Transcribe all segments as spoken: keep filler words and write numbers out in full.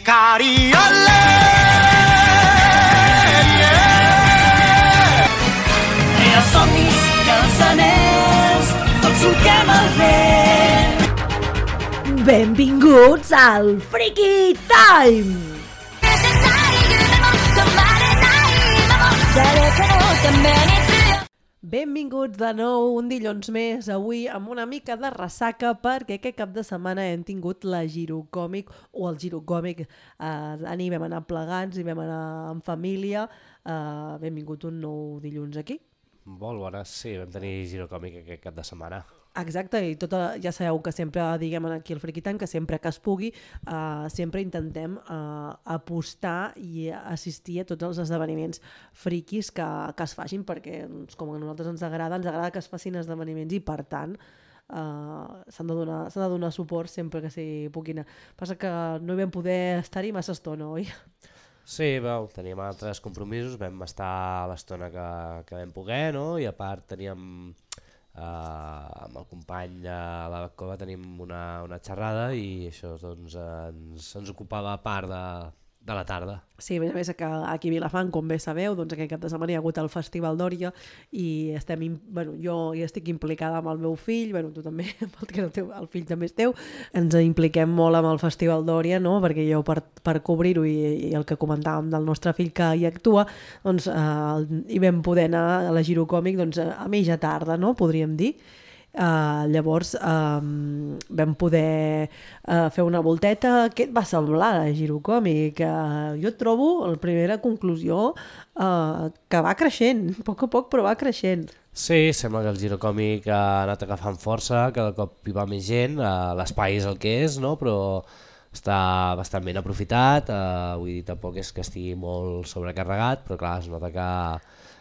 Cariole, yeah. I els somnis i els anells tots solquem el vent. Benvinguts al Freaky Time! Benvinguts de nou un dilluns més, avui amb una mica de ressaca perquè aquest cap de setmana hem tingut la Girocòmic o el Girocòmic, eh, ahir vam anar plegats i vam anar en família, eh, benvingut un nou dilluns aquí. Molt bones, sí, vam tenir Girocòmic aquest cap de setmana. Exacte, i tota, ja sabeu que sempre diguem aquí al Freaky Time que sempre que es pugui uh, sempre intentem uh, apostar i assistir a tots els esdeveniments friquis que, que es facin perquè doncs, com a nosaltres ens agrada, ens agrada que es facin esdeveniments i per tant uh, s'han de donar, s'ha de donar suport sempre que s'hi puguin. Passa que no hi vam poder estar-hi massa estona, oi? Sí, veu, teníem altres compromisos, vam estar l'estona que, que vam poder, no? I a part teníem... Uh, amb el company a la cova tenim una, una xerrada i això doncs, ens, ens ocupava part de, de la tarda. Sí, a més a més que aquí a Vilafant, com bé sabeu, doncs aquest cap de setmana hi ha hagut el Festival d'Òria i estem, bueno, jo hi estic implicada amb el meu fill, bueno, tu també, perquè el, teu, el fill també és teu, ens impliquem molt amb el Festival d'Òria, no? Perquè jo per, per cobrir-ho i, i el que comentàvem del nostre fill que hi actua, doncs eh, hi vam poder anar a la Girocòmic doncs, a mitja tarda, no? Podríem dir. Uh, llavors um, vam poder uh, fer una volteta. Què et va semblar la Girocòmic? Uh, jo trobo la primera conclusió uh, que va creixent, a poc a poc però va creixent. Sí, sembla que el Girocòmic ha anat agafant força, cada cop hi va més gent, uh, l'espai és el que és, no? Però està bastant ben aprofitat, uh, vull dir, tampoc és que estigui molt sobrecarregat, però clar, es nota que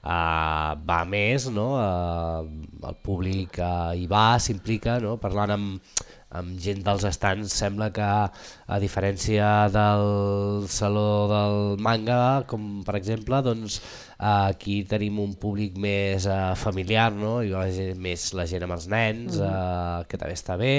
Uh, va més, no? Uh, el públic uh, hi va, s'implica, no? Parlant amb, amb gent dels estants, sembla que a diferència del Saló del Manga, com per exemple, doncs, uh, aquí tenim un públic més uh, familiar, no? I la gent, més la gent amb els nens, uh, que també està bé,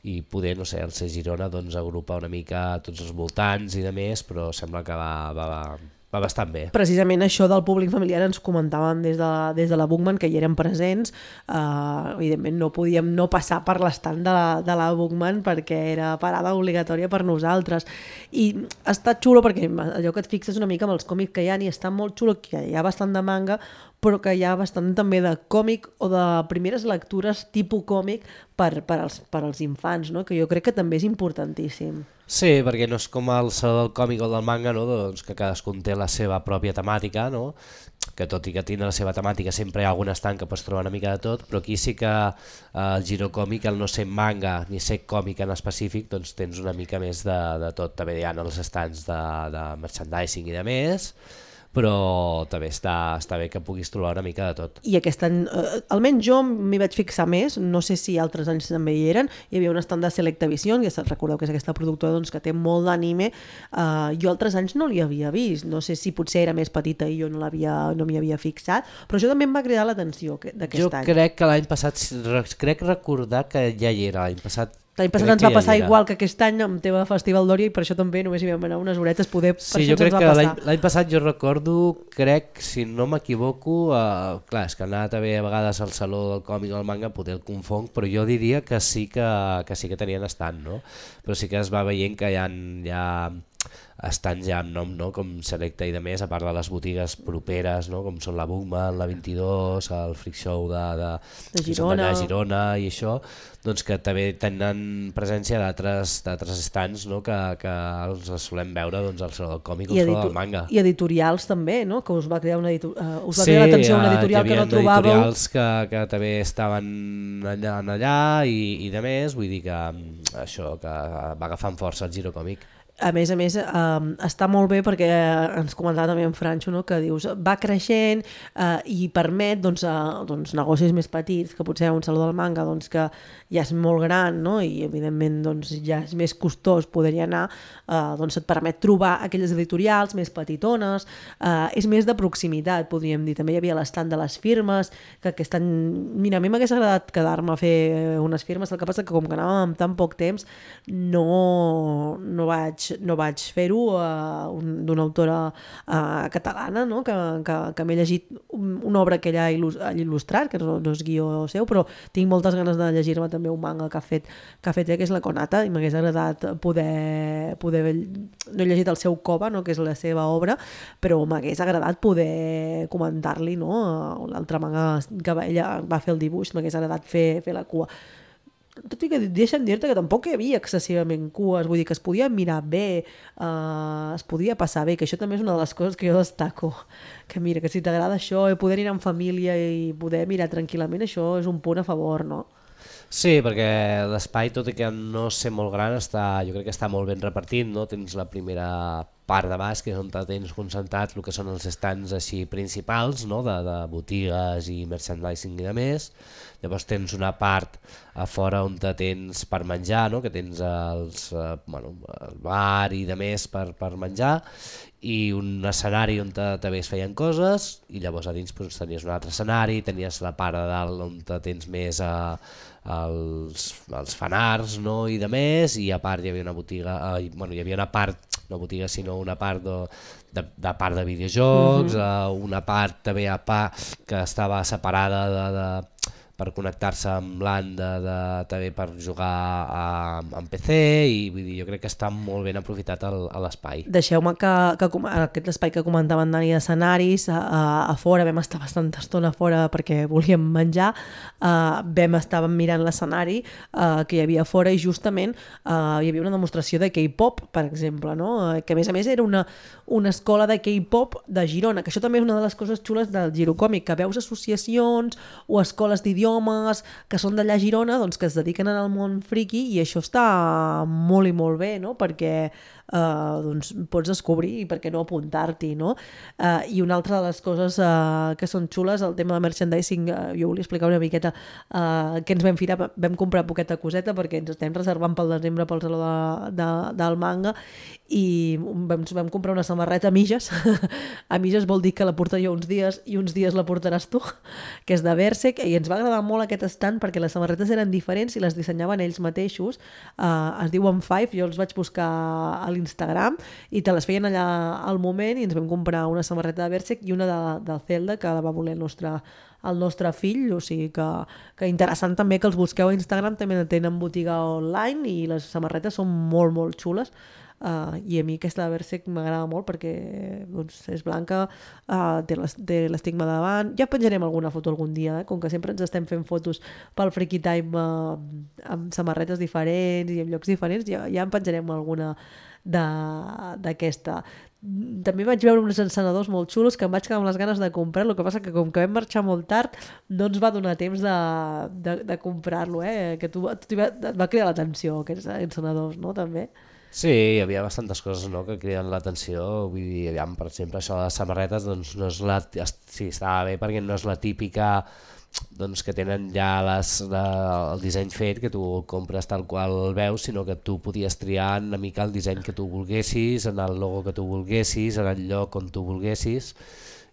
i poder, no sé, el C Girona doncs, agrupa una mica tots els voltants i de més, però sembla que va... va, va va bastant bé. Precisament això del públic familiar ens comentaven des de, des de la Bookman que hi eren presents, uh, evidentment no podíem no passar per l'estant de la, de la Bookman perquè era parada obligatòria per nosaltres i està xulo perquè allò que et fixes una mica amb els còmics que hi ha i està molt xulo que hi ha bastant de manga però que hi ha bastant també de còmic o de primeres lectures tipus còmic per, per, als, per als infants, no? Que jo crec que també és importantíssim. Sí, perquè no és com el saló del còmic o del manga, no? Doncs que cadascun té la seva pròpia temàtica, no? Que tot i que tindre la seva temàtica sempre hi ha algun estant que pots trobar una mica de tot, però aquí sí que eh, el Girocòmic, el no ser manga ni ser còmic en específic, doncs tens una mica més de, de tot. També hi ha els estants de, de merchandising i de més, però també està, està bé que puguis trobar una mica de tot. I aquest any, eh, almenys jo m'hi vaig fixar més, no sé si altres anys també hi eren, hi havia un estand de Selecta Vision, que recordeu que és aquesta productora doncs, que té molt d'anime, eh, jo altres anys no l'hi havia vist, no sé si potser era més petita i jo no l'havia, no m'hi havia fixat, però això també em va cridar l'atenció d'aquest jo any. Jo crec que l'any passat, crec recordar que ja hi era l'any passat. L'any passat ens va passar ja igual que aquest any amb teva Festival d'Òria i per això també només hi vam anar unes horetes poder, per sí, això jo crec ens va que passar. L'any passat jo recordo, crec, si no m'equivoco, uh, clar, és que ha anat a ver a vegades al Saló del Còmic o el Manga, poder el confonc, però jo diria que sí que, que, sí que tenien estant, no? Però sí que es va veient que hi ha, hi ha estants ja amb nom, no? Com Selecta i de més, a part de les botigues properes, no? Com són la Bookman, la vint-i-dos, el Freak Show de, de, de Girona. de Girona i això, doncs que també tenen presència d'altres estants, no? que, que els solem veure doncs, al Saló del Còmic o al Saló del Manga. I editorials també, no? Que us va crear una editor... uh, us va sí, crear l'atenció una editorial que no trobàveu. Sí, editorials que, que també estaven allà, allà i, i de més, vull dir que això que va agafant força el Girocòmic. A més a més, eh, eh, està molt bé perquè ens comentava també en Franxo, no? Que dius, va creixent eh, i permet doncs, eh, doncs, negocis més petits, que potser un saló del manga doncs, que ja és molt gran, no? I evidentment doncs, ja és més costós poder-hi anar, eh, doncs et permet trobar aquelles editorials més petitones, eh, és més de proximitat, podríem dir. També hi havia l'estand de les firmes, que aquest any, mira, a mi m'hagués agradat quedar-me a fer unes firmes, el que passa que com que anàvem amb tan poc temps no, no vaig, no vaig fer-ho uh, un, d'una autora uh, catalana, no? que, que, que m'he llegit una obra que ella ha il·lustrat, que no, no és guió seu, però tinc moltes ganes de llegir-me també un manga que ha fet, que ha fet ella, que és la Konata, i m'hagués agradat poder, poder no he llegit el seu Koba, no? Que és la seva obra, però m'hagués agradat poder comentar-li, no? L'altre manga que ella va fer el dibuix, m'hagués agradat fer, fer la cua. Tot i que deixa'm dir-te que tampoc hi havia excessivament cues, vull dir que es podia mirar bé, eh, es podia passar bé, que això també és una de les coses que jo destaco, que mira, que si t'agrada això, poder anar en família i poder mirar tranquil·lament, això és un punt a favor, no? Sí, perquè l'espai, tot i que no ser molt gran, està, jo crec que està molt ben repartit, no? Tens la primera part de baix, que és on tens concentrat el que són els stands així principals, no? de, de botigues i merchandising i de més. Llavors tens una part a fora on te tens per menjar, no? Que tens els, eh, bueno, el bar i de més per, per menjar, i un escenari on te, també es feien coses, i llavors a dins doncs, tenies un altre escenari, tenies la part de dalt on te tens més a, els, els fanarts, no? I de més, i a part hi havia una botiga, eh, bueno, hi havia una part, no botiga sinó una part de, de, de part de videojocs, uh -huh. eh, una part també a part que estava separada de, de per connectar-se amb l'A N de, de, també per jugar a, amb P C, i vull dir, jo crec que està molt ben aprofitat el, a l'espai. Deixeu-me que, que aquest espai que comentava en Dani d'escenaris, a, a, a fora, vam estar bastanta estona a fora perquè volíem menjar, uh, vam estar mirant l'escenari uh, que hi havia a fora i justament uh, hi havia una demostració de K-pop, per exemple, no? Uh, que a més a més era una, una escola de K-pop de Girona, que això també és una de les coses xules del Girocòmic, que veus associacions o escoles d'idiomes homes que són d'allà a Girona, doncs, que es dediquen al món friki, i això està molt i molt bé, no? Perquè Uh, doncs pots descobrir i per què no apuntar-t'hi, no? Uh, i una altra de les coses uh, que són xules, el tema de merchandising, uh, jo volia explicar una miqueta uh, què ens vam firar, vam comprar poqueta coseta perquè ens estem reservant pel desembre pel saló de, de, del manga, i vam, vam comprar una samarreta a mitges. A mitges vol dir que la portaré jo uns dies i uns dies la portaràs tu, que és de Berserk, i ens va agradar molt aquest stand perquè les samarretes eren diferents i les dissenyaven ells mateixos. Uh, es diuen Five, jo els vaig buscar a l'Instagram i te les feien allà al moment, i ens vam comprar una samarreta de Berserk i una de, de Zelda, que la va voler el nostre, el nostre fill, o sigui que, que interessant també que els busqueu a Instagram, també tenen botiga online i les samarretes són molt molt xules. Uh, i a mi aquesta de Berserk m'agrada molt perquè doncs, és blanca, uh, té l'estigma davant. Ja penjarem alguna foto algun dia, eh? Com que sempre ens estem fent fotos pel Freaky Time uh, amb samarretes diferents i en llocs diferents, ja, ja en penjarem alguna d'aquesta. També vaig veure uns encenedors molt xulos que em vaig quedar amb les ganes de comprar, el que passa que com que vam marxar molt tard no ens va donar temps de, de, de comprar-lo, eh? Que tu, tu va, et va cridar l'atenció aquests encenedors, no? També. Sí, hi havia bastantes coses, no?, que criden l'atenció. Vull dir, aviam, per exemple, això de les samarretes, doncs no és la... Sí, estava bé perquè no és la típica, doncs, que tenen ja les, la, el disseny fet, que tu compres tal qual el veus, sinó que tu podies triar una mica el disseny que tu volguessis, en el logo que tu volguessis, en el lloc on tu volguessis,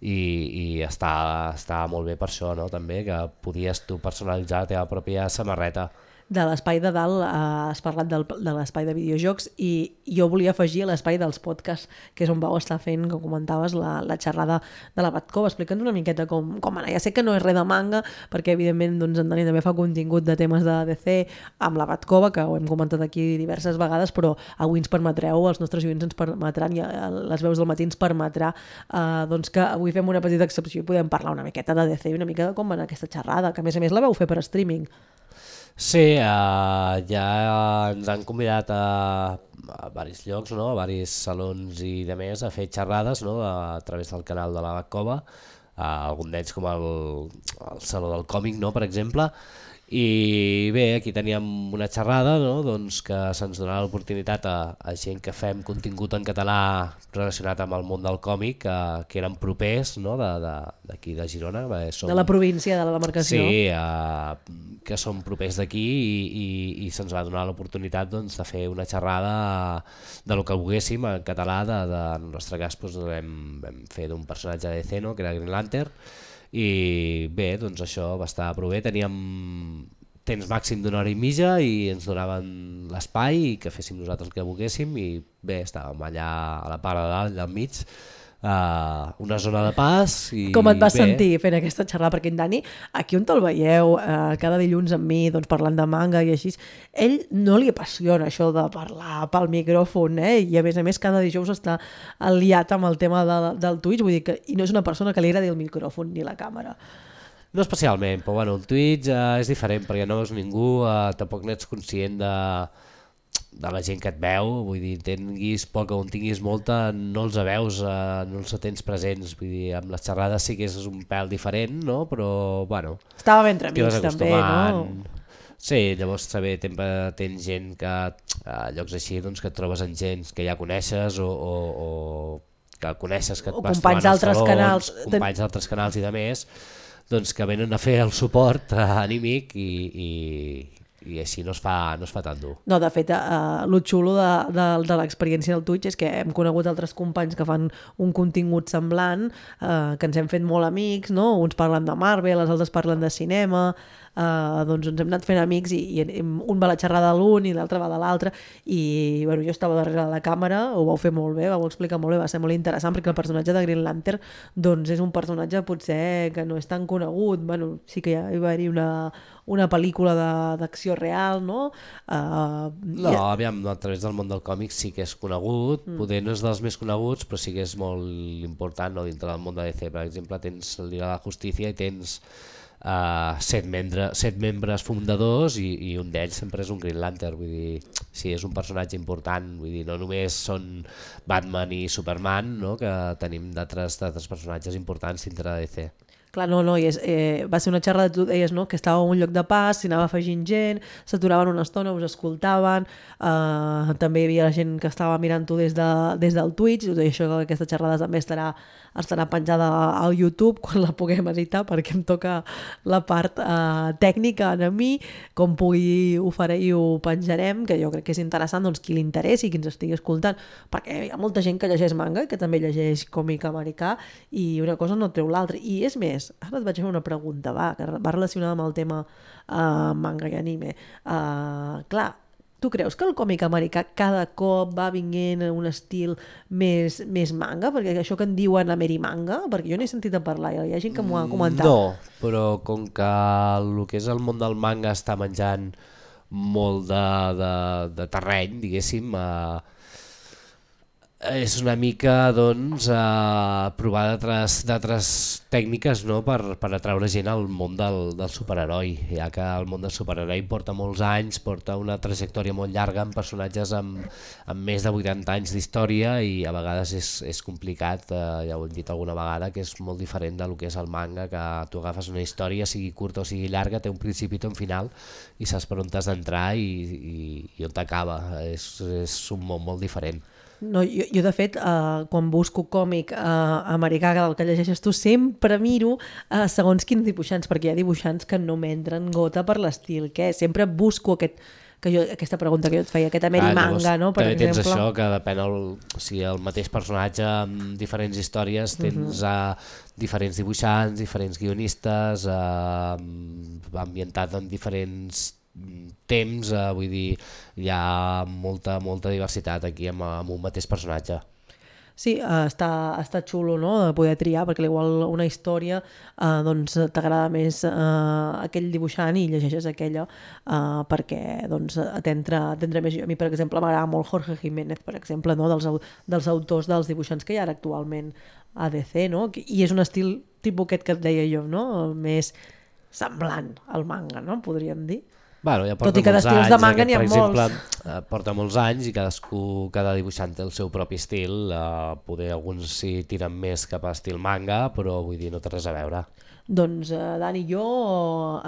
i, i està, està molt bé per això, no?, també, que podies tu personalitzar la teva pròpia samarreta. De l'espai de dalt eh, has parlat del, de l'espai de videojocs, i jo volia afegir l'espai dels podcasts, que és on vau estar fent, com comentaves, la, la xerrada de la Batcova. Explica'ns una miqueta com, com anar. Ja sé que no és res de manga, perquè evidentment doncs, en Dani també fa contingut de temes de D C amb la Batcova, que ho hem comentat aquí diverses vegades, però avui ens permetreu, els nostres oients ens permetran, i les veus del matí ens permetrà eh, doncs que avui fem una petita excepció i podem parlar una miqueta de D C i una mica de com va anar aquesta xerrada, que a més a més la vau fer per streaming. Sí, uh, ja ens han convidat a, a varis llocs, no?, a varis salons i de més, a fer xerrades, no?, a, a través del canal de la Batcova, uh, algun d'ells com el, el Saló del Còmic, no?, per exemple, I bé, aquí teníem una xerrada, no? Doncs que se'ns donava l'oportunitat a, a gent que fem contingut en català relacionat amb el món del còmic, que, que eren propers, no? d'aquí de, de, de Girona. Bé, som, de la província, de la demarcació. Sí, eh, que som propers d'aquí i, i, i se'ns va donar l'oportunitat doncs, de fer una xerrada de lo que volguéssim en català. De, de, en el nostre cas doncs, vam, vam fer d'un personatge de D C, no? Que era Green Lantern. I bé, doncs això va estar prou bé, teníem temps màxim d'una hora i mitja i ens donaven l'espai i que féssim nosaltres el que volguéssim i bé, estàvem allà a la part de dalt, allà al mig, uh, una zona de pas. I com et vas bé. sentir fent aquesta xerrada? Perquè en Dani, aquí on te'l veieu, uh, cada dilluns amb mi, doncs, parlant de manga i així, ell no li apassiona això de parlar pel micròfon, eh? I a més a més cada dijous està aliat amb el tema de, del Twitch, vull dir que i no és una persona que li agradi el micròfon ni la càmera. No especialment, però bueno, el Twitch uh, és diferent perquè no veus ningú, uh, tampoc n'ets conscient de, de la gent que et veu, vull dir, tinguis poca o en tinguis molta, no els veus, uh, no els tens presents, vull dir, amb les xerrades sí que és un pèl diferent, no? Però bueno... Estava ben entre amics també, no? Sí, llavors també tens gent que a llocs així doncs, que et trobes en gent que ja coneixes o, o, o que coneixes, que et o vas companys d'altres canals, companys d'altres canals i de més, doncs que venen a fer el suport anímic i, i, i així no es fa, no es fa tan dur. No, de fet, uh, el xulo de, de, de l'experiència del Twitch és que hem conegut altres companys que fan un contingut semblant, uh, que ens hem fet molt amics, no? Uns parlen de Marvel, els altres parlen de cinema, uh, doncs ens hem anat fent amics i, i un va a la xerrada de l'un i l'altre va de l'altre i bueno, jo estava darrere de la càmera, ho vau fer molt bé, vau explicar molt bé, va ser molt interessant perquè el personatge de Green Lantern doncs és un personatge potser que no és tan conegut, bueno, sí que ja hi va haver una, una pel·lícula d'acció real, no? Uh, no, ja... aviam, a través del món del còmic sí que és conegut, mm. poder no és dels més coneguts, però sí que és molt important, no? Dintre del món de D C, per exemple, tens el Liga de la Justícia i tens uh, set, membre, set membres fundadors i, i un d'ells sempre és un Green Lantern, vull dir, sí, és un personatge important, vull dir, no només són Batman i Superman, no? Que tenim d'altres personatges importants dintre de D C. Clar, no, no, i és, eh, va ser una xerrada, tu deies, no?, que estava en un lloc de pas, s'hi anava afegint gent, s'aturaven una estona, us escoltaven, eh, també hi havia la gent que estava mirant-ho des, de, des del Twitch, i això, aquesta xerrada també estarà, estarà penjada al YouTube quan la puguem editar, perquè em toca la part eh, tècnica a mi, com pugui ho faré i ho penjarem, que jo crec que és interessant, doncs, qui li interessi, qui ens estigui escoltant, perquè hi ha molta gent que llegeix manga i que també llegeix còmic americà, i una cosa no treu l'altra, i és més, ara et vaig fer una pregunta, va, que va relacionada amb el tema uh, manga i anime. Uh, clar, tu creus que el còmic americà cada cop va vinguent a un estil més, més manga? Perquè això que en diuen Amerimanga, perquè jo n'he sentit a parlar, hi ha gent que m'ho ha comentat. No, però com que el que és el món del manga està menjant molt de, de, de terreny, diguéssim, uh, és una mica doncs, eh, provar d'altres tècniques, no? per, per atraure gent al món del, del superheroi, ja que el món del superheroi porta molts anys, porta una trajectòria molt llarga amb personatges amb, amb més de vuitanta anys d'història i a vegades és, és complicat, eh, ja ho hem dit alguna vegada, que és molt diferent del que és el manga, que tu agafes una història, sigui curta o sigui llarga, té un principi i un final i saps per on t'has d'entrar i, i, i on t'acaba, és, és un món molt diferent. No, jo, jo de fet, eh, quan busco còmic eh, americà del que llegeixes tu, sempre miro eh, segons quins dibuixants, perquè hi ha dibuixants que no m'entren gota per l'estil, que sempre busco aquest, que jo, aquesta pregunta que jo et feia, aquest Amerimanga, ah, no? Per també exemple. Tens això, que depèn el, o sigui, el mateix personatge amb diferents històries, tens uh -huh. uh, diferents dibuixants, diferents guionistes, uh, ambientat en diferents temps, eh, vull dir, hi ha molta, molta diversitat aquí amb, amb un mateix personatge. Sí, uh, està, està xulo, no?, de poder triar, perquè igual una història uh, doncs t'agrada més uh, aquell dibuixant i llegeixes aquella uh, perquè doncs, t'entra més. A mi, per exemple, m'agrada molt Jorge Jiménez, per exemple, no?, dels, dels autors dels dibuixants que hi ha actualment a D C, no?, i és un estil tipus aquest que et deia jo, no?, més semblant al manga, no?, podríem dir. Bueno, ja tot i que d'estils de manga n'hi ha molts. Per exemple, porta molts anys i cadascú, cada dibuixant té el seu propi estil, eh, poder alguns s'hi tiren més cap a estil manga, però vull dir, no té res a veure. Doncs, eh, Dani, jo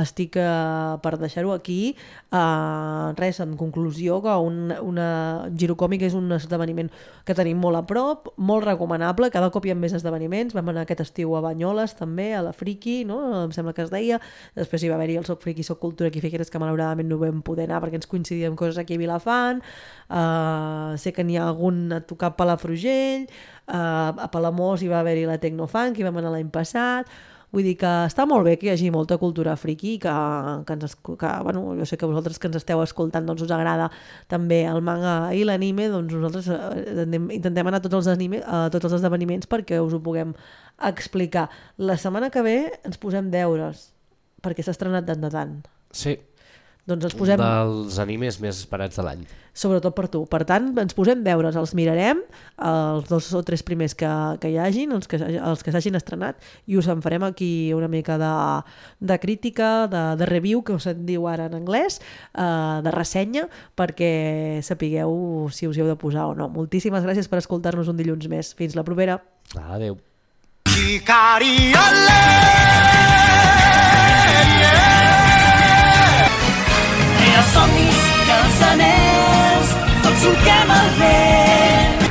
estic eh, per deixar-ho aquí. Eh, res, en conclusió, que un, una Girocòmic és un esdeveniment que tenim molt a prop, molt recomanable, cada cop hi ha més esdeveniments. Vam anar aquest estiu a Banyoles també, a la Friki, no? Em sembla que es deia. Després hi va haver-hi el Soc Friki, Soc Cultura aquí a Figueres, que malauradament no vam poder anar perquè ens coincidíem coses aquí a Vilafant. Uh, sé que n'hi ha algun a tocar a Palafrugell, uh, a Palamós hi va haver-hi la Tecnofunk, hi vam anar l'any passat. Vull dir que està molt bé que hi hagi molta cultura friki, que, que, ens, que bueno, jo sé que vosaltres que ens esteu escoltant doncs us agrada també el manga i l'anime, doncs nosaltres intentem anar a tots els, anime, a tots els esdeveniments perquè us ho puguem explicar. La setmana que ve ens posem deures, perquè s'ha estrenat tant de tant. Sí. Doncs ens posem... dels animes més esperats de l'any. Sobretot per tu. Per tant, ens posem deures, els mirarem, els dos o tres primers que, que hi hagin, els que, els que s'hagin estrenat, i us en farem aquí una mica de, de crítica, de, de review, que se'n diu ara en anglès, eh, de ressenya, perquè sapigueu si us hi heu de posar o no. Moltíssimes gràcies per escoltar-nos un dilluns més. Fins la propera. Adéu. Els somnis i els anells, tots solquem el vent.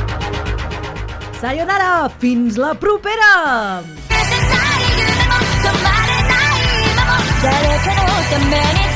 Sayonara! Fins la propera! 誰かのために